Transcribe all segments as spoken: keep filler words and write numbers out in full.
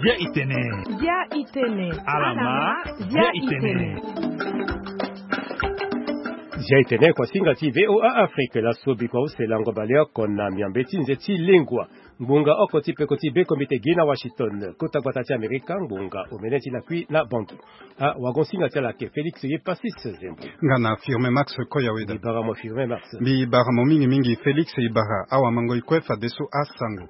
Bia itene. Bia itene. Alama. Bia itene. Bia itene. Kuasinga ti VOA Afrique, laso bikua use lango baleoko na miambe ti nze ti lengua. Ngbonga oko ti peko ti be komite gi na Washington, kota gbata ti Amerika, ngbonga omene ti lakui na Bangui. Ah, wagon singa ti ala ake Félix ye Passis Zembo. Nga na Firmin Max Koyaweda. Mbi bara mo Firmin Max. Mbi bara mo mingi mingi Félix, e bara awamango e kue fadeso asango.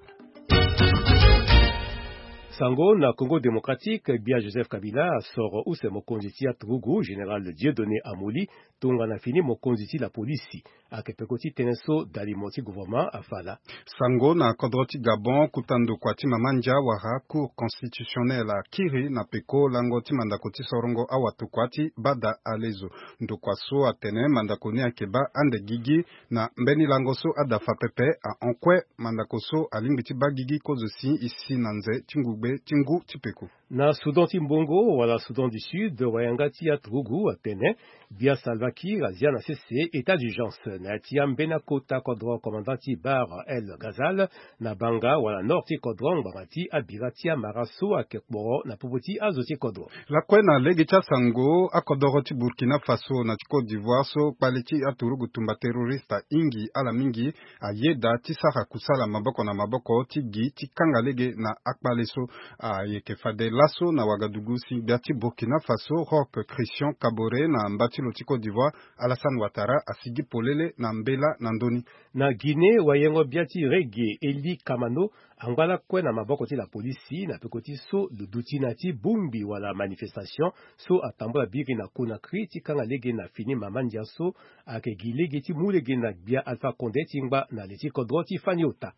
Sango na Congo Démocratique, gbia Joseph Kabila asoro use mokonzi ti aturugu, général Dieudonné Amoli, tongana fini mokonzi ti la polisi. Ake peko ti tënë so dalimo ti gouvernement afa laa. Sango na kodro ti Gabon, kota ndokua ti mama ndia wala Cour constitutionnelle akiri na peko lango ti mandako ti sorongo awatokua ti bada alezo. Ndokua so atene mandako ni ayeke baa ande gigi na mbeni lango so adafa pepe ahon kue. Mandako so alingbi ti baa gigi kozo si e si na nze ti ngugbe ti ngu ti peko. Na Soudan ti mbongo wala Soudan du Sud, wayanga ti aturugu atene gbia Salva Kiir azia na sese état d'urgence na ya ti ambeni akota kodro, commandant ti Bahr el Ghazal, na Banga wala nord ti kodro, ngbanga ti abira ti amara so ayeke kporo na popo ti azo ti kodro. Lakue na lege ti asango, akodoro ti Burkina Faso na ti Côte d'Ivoire so kpale ti aturugu tumba terroriste ahingi ala mingi, ayeda ti sara kusala maboko na maboko ti gi ti kanga lege na akpale so. Ayeke fade laso na wagadugu si gbia ti Burkina Faso, Roch Christian Kaboré, na mba ti lo ti Côte d'Ivoire, Alassane Ouattara, asigi polele na mbela na ndö ni. Na Guinée, wayengo-gbia ti reggae Eli Kamano angba lakue na maboko ti la polisi na peko ti so lo duti na ya ti bongbi wala manifestation so atambula biri na Conakry ti kanga lege na fini mama ndia so ayeke gi lege ti mu lege na gbia Alpha Condé ti ngba na le ti kodro ti fani ota.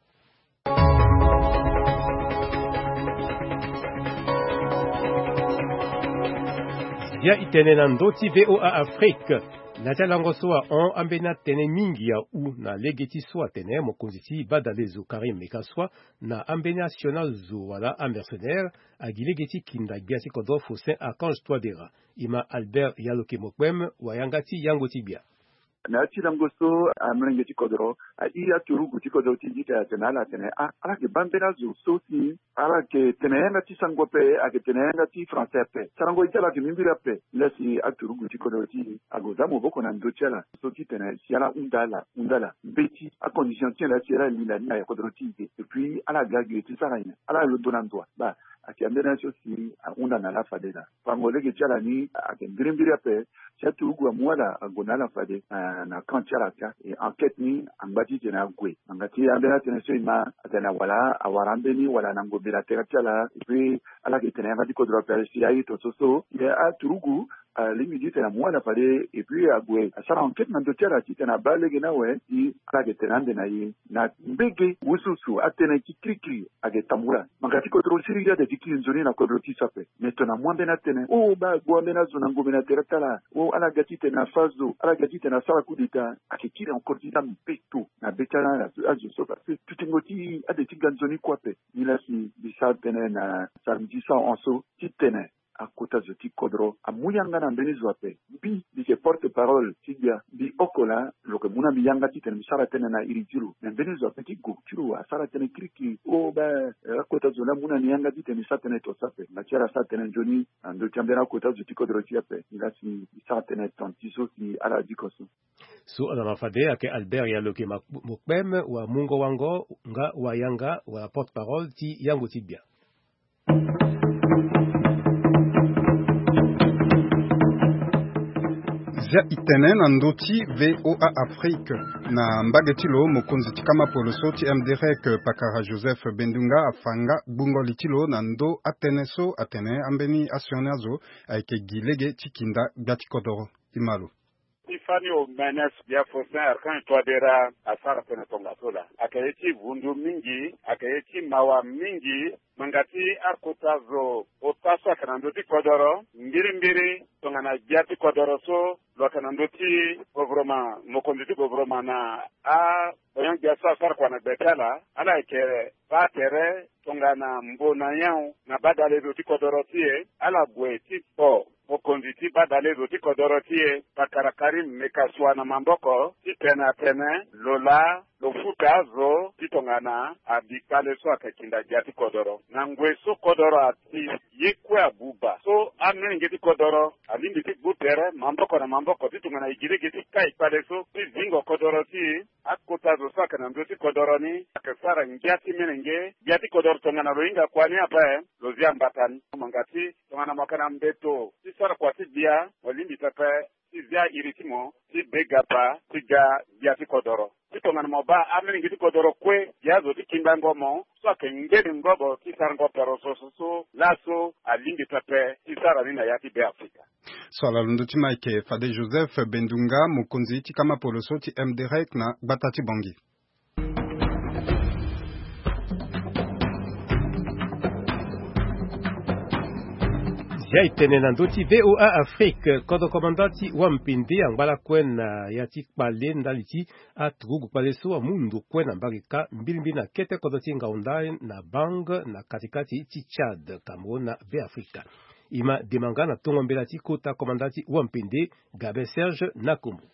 Gbia itene na ndö ti VOA Afrique. Na ya ti alango so ahon, ambeni atene mingi ahu na lege ti so atene mokonzi ti badalezo Karim Meckassoua na ambeni asioni azo wala amercenaire agi lege ti kinda gbia ti kodro Faustin Archange Touadéra. E ma Albert Yaloke Mokpem, wayanga ti yango ti gbia. Na ya ti lango so, amolenge ti kodro ahi aturugu ti kodro ti gi ti ala atene ala tene, ah, ala yeke baa mbeni azo so si ala yeke tene yanga ti sango ape, ayeke tene yanga ti français ape. Sarango ye ti ala ayeke mimbiri ape. Nilaa si aturugu ti kodro ti e ague za maboko na ndö ti ala so ti tene si ala hunda ala, hunda ala mbeti acondition ti ala si ala linda ni na kodro ti e. Et puis ala ga ge ti sara nyen? Ala londo na ndo wa? Baa, ayeke ambeni azo so si ahunda na ala fade laa. Fango lege ti ala ni ayeke mbirimbiri ape. Si aturugu amu ala ague na ala fade, eh, na camp ti ala ka. E enquête ni angba titene ague. Ngbanga ti ambeni atene so e ma atene awara, awara ambeni wala na ngombe na tere ti ala. Et puis ala yeke tene yanga ti kodro ape si aye tongaso so ye aturugu alingbi titene amu ala fade. Et puis ague asara enquête na ndö ti ala titene abaa lege ni awe si ala yeke tene ande na ye. Na mbege wusuwusu atënë ti kirikiri ayeke tambula. Ngbanga ti kodro siriri ade ti kiri nzoni na kodro ti so ape. Me tongana amu ambeni atënë, o baa ague ambeni azo na ngombe na tere ti ala, o ala ga titene afa zo, ala ga titene asara coup d'état, ayeke kiri encore ti za mbeto na be ti ala na azo so, parce que tutingo ti ade ti ga nzoni kue ape. Nilaa si mbi sara tënë na samedi so ahon so titene akota zo ti kodro amu yanga na mbeni zo ape. Mbi, mbi yeke porte parole ti gbia, mbi oko laa lo yeke mu na mbi yanga titene mbi sara tënë na iri ti lo. Me mbeni zo ape ti gue ti lo asara tënë kirikiri. O baa, eh, akota zo ni amu na ni yanga titene mbi sara tënë tongaso ape. Nga ti ala asara tënë nzoni na ndö ti ambeni akota zo ti kodro ti e ape. Nga si mbi sara tënë tonga ti so si ala diko so. So ala ma fade ayeke Albert Yaloke Mokpem, wamungo-wango nga wayanga wala porte parole ti yango ti gbia. Zia itene na ndö ti VOA Afrique. Na mbage ti lo, mokonzi ti kama poloso ti MDREC, pakara Joseph Bendunga, afa nga gbungo li ti lo na ndö atënë so atene ambeni asioni azo ayeke gi lege ti kinda gbia ti kodoro. Ti fani omene so gbia Faustin Archange Touadéra asara tënë tongaso laa. Ayeke ye ti vundu mingi, ayeke ye ti mawa mingi. Ngbanga ti akota zo ota so ayeke na ndö ti kodoro, mbirimbiri tongana gbia ti kodoro so lo yeke na ndö ti gouvernement, mokonzi ti gouvernement na abonyon-gbia so asara kua na gbe ti ala, ala yeke baa tere tongana mbo na nyon na badalezo ti kodoro ti e, ala gue ti kpo Mokonzi ti badale zo ti kodoro ti e, pakara Karim Mekasua na maboko titene atene lo laa lo futa azo ti tongana abi kpale so ayeke kinda gbia ti kodoro. Na ngoi so kodoro ati ye kue abuba so, amolenge ti kodoro alingbi ti gbu tere maboko na maboko ti tongana e gi lege ti kai kpale so ti zingo kodoro ti e. Akota zo so ayeke na ndö ti kodoro ni ayeke sara ngia ti molenge. Gbia ti kodoro tongana lo hinga kua ni ape, lo zia mbata ni. Mo nga ti tongana mo yeke na mbeto ti sara kua ti gbia, mo lingbi pepe ti zia iri ti mo ti be gapa ti ga gbia ti kodoro. Ti tongana mo baa amolenge ti kodoro kue, gi azo ti kindango mo so ayeke ngbe ni ngobo ti sarango peroso so, so laso alingbi pepe ti sara ni na ya ti Beafrika. So ala londo ti Mike Fade Joseph Bendunga, mokonzi ti kama poloso ti M D R E C na gbata ti Bangui. Zia e tene na ndö ti V O A Afrique, kodro komanda ti wampende angba lakue na ya ti kpale ndali ti aturugu kpale so amu ndo kue na mbage kâ mbilimbili na kete kodro ti Ngaoundé na Bang na katikati ti Tchad, Cameroun na Beafrika. E ma dema nga na tongo mbela ti kota komanda ti wampende, Gabin Serge Nakombo.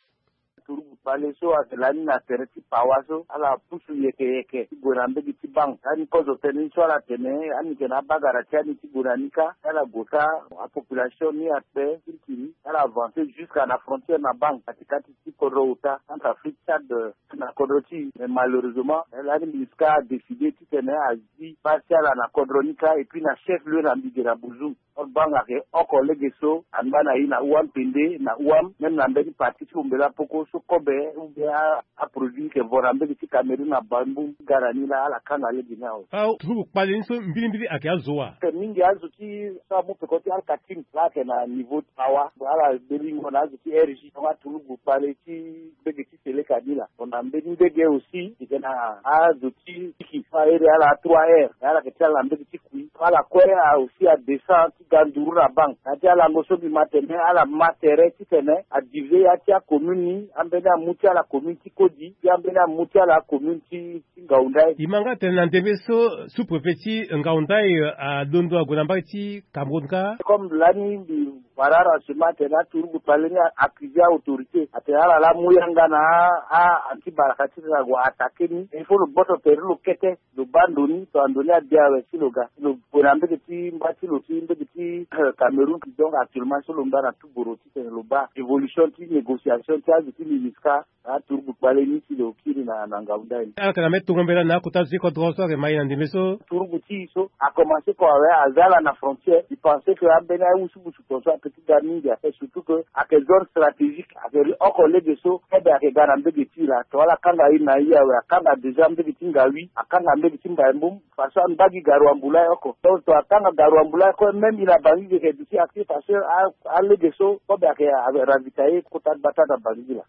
Turugu kpale so ayeke lani na tere ti pawa so, ala pusu yeke yeke ti gue na mbege ti Bang. Lani kozo tënë ni so ala tene, ani yeke na abagara ti ani ti gue na ni kâ, ala gue kâ, apopulation ni ape kirikiri, ala avancer jusqu'à na frontière na Bang, katikati ti kodro ota, Centrafrique, Tchad, euh, na kodro ti e. Mais malheureusement, lani MINUSCA adécider titene azi base ti ala na kodro ni kâ, et puis na chef lieu na Mbidira Bouzoum. Or Bang ayeke oko lege so angba na e na Ouampende, na Ouam, même na mbeni partie ti Oumbela Poko so kobe ou bien a, aproduit ni yeke vo na mbege ti Cameroun na Bambou, ga na ni laa ala kanga lege ni awe. Aturugu kpale ni so mbilimbili ayeke azo wa? Ayeke mingi azo ti so amu peko ti Al-Katim, laa ayeke na niveau ti pawa, ala belingo na azo ti R J, donc aturugu kpale ti mbege ti Seleka ni laa. Bon, na mbeni ndege aussi, e yeke na azo ti tiki so ahere ala trois R, ala yeke ti ala na mbege ti kui. Ala kue a aussi adescend ti ga nduru na Bang. Na ya ti alango so mbi ma tene, ala ma tere titene adiviser ya ti acommune ni, ambeni amu ti ala commune ti Kodi, ti ambeni amu ti ala commune ti, ti Ngaoundé. E ma nga tene na ndembe so sous-préfet ti Ngaoundé, euh, alondo ague na mbage ti Cameroun kâ. Comme lani mbi wara renseignement atene aturugu kpale ni a accuser autorité atene ala laa amu yanga na a, a anti baraka titene ague attaquer ni. Il faut lo gboto tere lo kete, lo baa ndo ni, tongana ndo ni abia awe si lo ga. Lo gue na mbege ti mba ti lo ti mbege ti, euh, Cameroun. Donc actuellement so lo ngba na tuboro titene lo baa évolution ti négociation ti azo ti MINUSCA na aturugu kpale ni si lo kiri na, na Ngaoundé ni. Ala yeke na mbeni tongo mbela na akota zo ti kodro so ayeke ma e na ndembe so. Turugu ti e so akomanse ko awe, aza ala na frontière. E pense que ambeni awusubusu tongaso ape ti ga mingi ape, surtout que ayeke zone stratégique, ayeke ri oko lege so kobe ayeke ga na mbege ti e laa. Tongana ala kanga e na e awe, akanga déjà mbege ti Ngaoui, akanga mbege ti Mbaye-Mboum, parce que ambagi garoua-mbula oko. Donc tongana akanga garoua-mbula oko, même e na Bangui e yeke duti accès parce que a, alege so kobe ayeke ravitailler kota gbata na Bangui laa.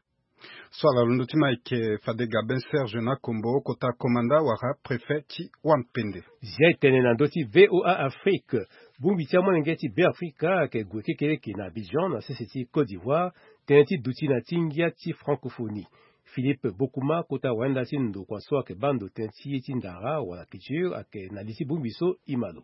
So ala londo ti Mike Fade Gabin Serge Nakombo, kota komanda wala préfet ti Wampende. Zia e tene na ndö ti V O A Afrique. Bongbi ti amolenge ti Beafrika ayeke gue kekereke na Abidjan na sese ti Côte d'Ivoire, tënë ti duti na ti ngia ti francophonie. Philippe Bokuma, kota wayanda ti ndokua so ayeke baa ndo tënë ti ye ti ndara wala culture, ayeke na li ti bongbi so e ma lo.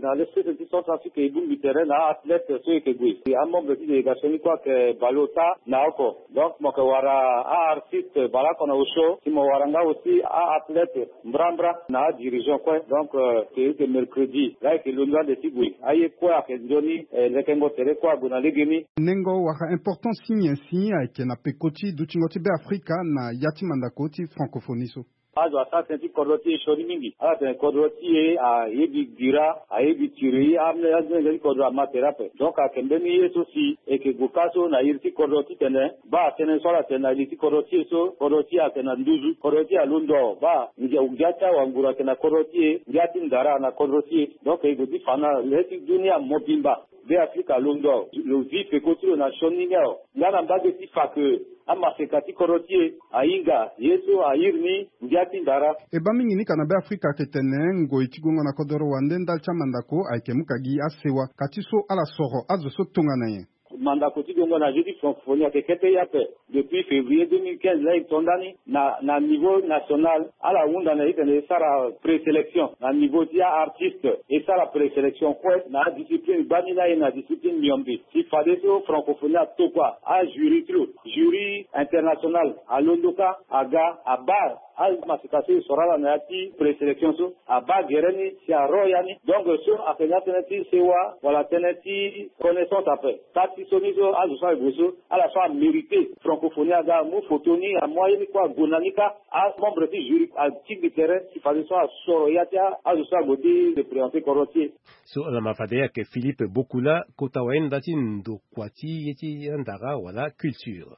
Na le sese ti Centrafrique e bongbi tere na a-athlète so e yeke gue. Amembre ti délégation ni kue ayeke baleota na oko. Donc mo yeke wara a-artiste baleoko na osio, si mo wara nga aussi a-athlète mbrambra na adirigeant kue. Donc, euh, e yeke mercredi laa e yeke londo ande ti gue. Aye kue ayeke nzoni, eh, lekengo tere kue ague na legeni. Nengo wala importance ti nyen si ayeke na peko ti dutingo ti Beafrika na ya ti mandako ti francophonie so? Azo asara tënë ti kodro ti e sioni mingi. Ala tene kodro ti e ayebi dira, ayebi tiri, amolenge ti kodro ama tere ape. Donc ayeke mbeni ye so si e yeke gue kâ so na iri ti kodro titene baa tënë so ala tene na iri ti kodro ti e so, kodro ti e ayeke na nduzu, kodro ti e alondo baa ngia, ngia ti awanguru ayeke na kodro ti e, ngia ti ndara na kodro ti e. Donc e gue ti fa na le ti dunia mobimba. Beafrika alondo, lo zi peko ti lo na sioni ni awe. Nga na mbage ti fa ke amaseka ti kodro ti e ahinga ye so a iri ni ngia ti ndara. E baa mingi ni ka na Beafrika ayeke tene ngoi ti gongo na kodoro wande ndali ti amandako ayeke mu ka gi asewa. Ka ti so ala soro azo so tongana nyen? Mandako ti dongo na jeu ti francophonie ayeke kete ye ape. Depuis février deux mille quinze laa e to ndani na, na niveau national, ala hunda na e tene e sara présélection na niveau ti a-artiste, e sara présélection kue na adiscipline gbani na e na discipline miombe. Si fadeso francophonie atokua ajury ti lo, jury international alondo kâ aga abaa amasika so e soro ala na ya ti présélection so, abaa gere ni si aro ya ni. Donc so ayeke na ya tënë ti sewa wala tënë ti connaissance ape. Kâ ti so ni so azo so ague so, ala so amérité francophonie aga amu photo ni, amu aye ni kue ague na ni kâ. Amembre ti jury atigbi tere si fadeso asoro ya ti azo so ague ti représenter kodro ti e. So ala ma fade ayeke Philippe Bokula, kota wayenda ti ndokua ti ye ti andara wala culture.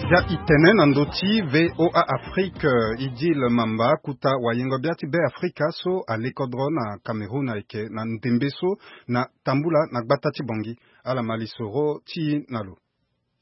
Zia itene na ndö ti V O A Afrique, Idil Mamba, kota wayengo bia ti Be Afrika so ale kodro na Cameroun ayeke na ndembe so na tambula na gbata ti Bangui. Ala ma lisoro ti e na lo.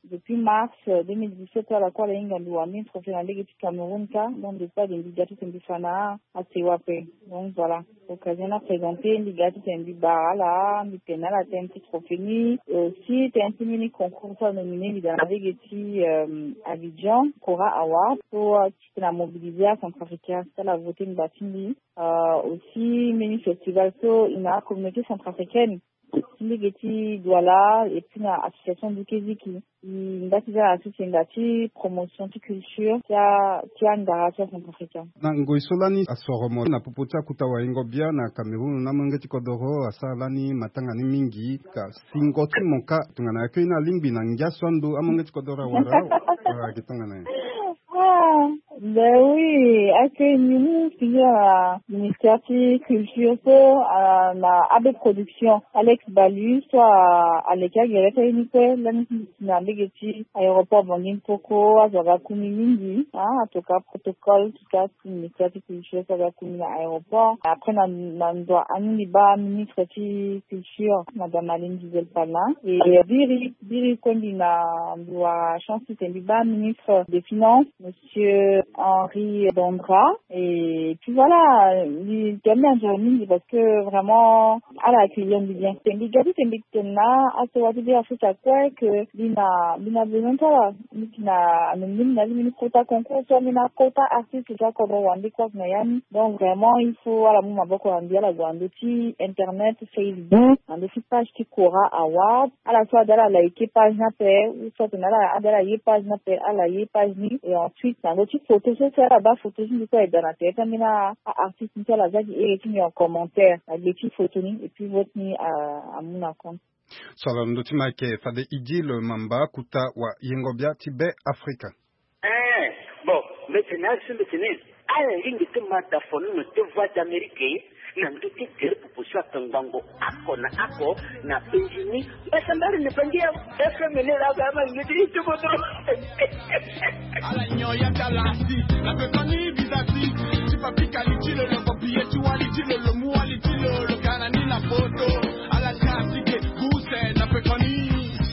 Depuis mars, euh, deux mille dix-sept, ala kue ala hinga mbi wara mbi trophée na lege ti Cameroun kâ. Donc depuis ade mbi ga ti tene mbi fa na asewa ape. Donc voilà, occasion ni aprésenté, mbi ga ti tene mbi bara ala, mbi tene na ala tënë ti trophée ni, et aussi tënë ti mini concours so anominé mbi daa na lege ti, euh, Abidjan, Kora Award, so, euh, ti tene amobilisé acentrafricain so ala voté ngbanga ti mbi. Euh, aussi mini festival so e na acommunauté centrafricaine ti lege ti Douala, et puis na association Dukeziki. E ngba ti za na sese ngbanga ti promotion ti culture ti a, ti angara ti acentrafricain. Na ngoi so lani asoro mo na popo ti akota wayengo bia na Cameroun na amolenge ti kodoro asara lani matanga ni mingi, ka singo ti mo kâ tongana accueil ni alingbi na ngia so ando amolenge ti kodoro awara, wala ayeke tongana nyen? Ah, ben oui, accueil ni mu singila na ministère ti culture so, ah, na A B Production, Alex Balu so, ah, aleke agere ti aye ni kue lani ti na lege ti aéroport Bangui Mpoko, azo aga ku ni mingi, ah, atoka protocole, atoka ti ministère ti culture so aga ku ni na aéroport. Après na, na ndo ani mbi baa ministre ti culture, madame Aline Gisèle Palin. Et, euh, biri, biri kue mbi na, mbi wara chance ti tene mbi baa ministre des finances, monsieur Henri Bandra. Et puis voilà, mbi tene mbi enjoy mingi parce que vraiment ala accueillir mbi bien. Tene mbi ga ti tene mbi tene na asewa ti Be Afrika kue que mbi na, mbi na besoin ti ala. Mbi si na, mbi na, mbi na, mbi na kota concours so, mbi na kota artiste so akodro wande kue na ya ni. Donc vraiment il faut ala mu maboko na mbi, ala gue na ndö ti internet, Facebook, na ndö ti page ti Kora Award. Ala so ade ala like page ni ape, ou soit na ala ade ala ye page ni ape, ala ye page ni. Et ensuite na ndö ti photo so, si ala baa photo ti mbi so aye daa na tere ti ambeni a-artiste ni so, ala za gi ere ti mbi en commentaire na gbe ti photo ni, et puis vote ni a, amu na compte. So ala na ndö ti ma ayeke fade Idil Mamba, kota wayengo bia ti Be Afrika. Eh, bon, mbi tene azo so mbi tene ala lingbi ti ma da fonono ti Voix d'Amérique na ndö ti gere popo so atongbango oko na oko na penzi ni. Mbi sambari ni Bangui F M ni laa, ba ma ngi ti ti kodro. Ala nyon ya ti ala si na pekoni bizati. Ti papi kali ti lo lo, papiye ti wali ti lo lo, mu wali ti lo lo, kana ni na poto. Ala ti asi ke buse na pekoni.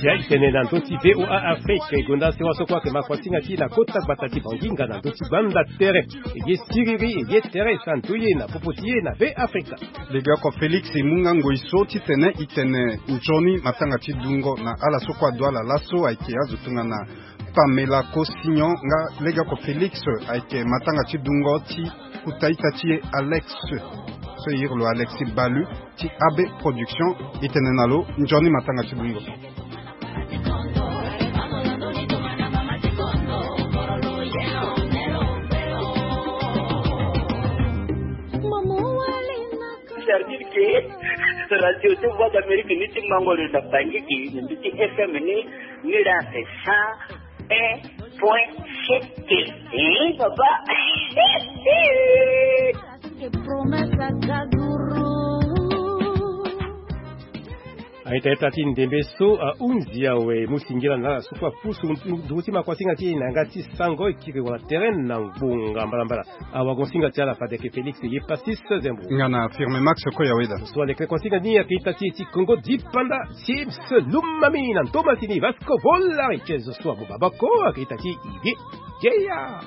Si aye tene na ndö ti V O A Afrique, e gonda sewa so kue ayeke ma kuasinga ti e na kota gbata ti Bangui nga na ndö ti gbanda tere. E ye siriri, e ye tere santu ye na popo ti e na Be Afrika. Legeoko Félix e mu nga ngoi so titene e tene nzoni matanga ti dungo na ala so kue adu ala laso, ayeke azo tongana Pamela Kosignon, nga legeoko Félix ayeke matanga ti dungo ti kota ita ti e Alex, so e iri lo Alexis Balu ti A B Production. E tene na lo nzoni matanga ti dungo. Servir ke radio ti Voix d'Amérique ni ti mango lo na Bangui ke, na ndö ti F M ni, ni la c'est cent un point sept. Eh, papa. Promesse à Kazuru. Aita ita ti ndembe so ahunzi awe, mu singila na ala so kue apusu nduku ti makuasinga ti e na yanga ti sango, e kiri wala tere na ngbonga mbalambala. Awagonsinga ti ala fade ayeke Félix ye Pacis Zembo. Nga na Firme Max Koyaweda. So aleke kuasinga ni ayeke ita ti e ti Kongo dipanda, Sims Lumami na ntoma ti ni Vasco Vola, e ti e zo so amu maboko ayeke ita ti e ye. Jeya.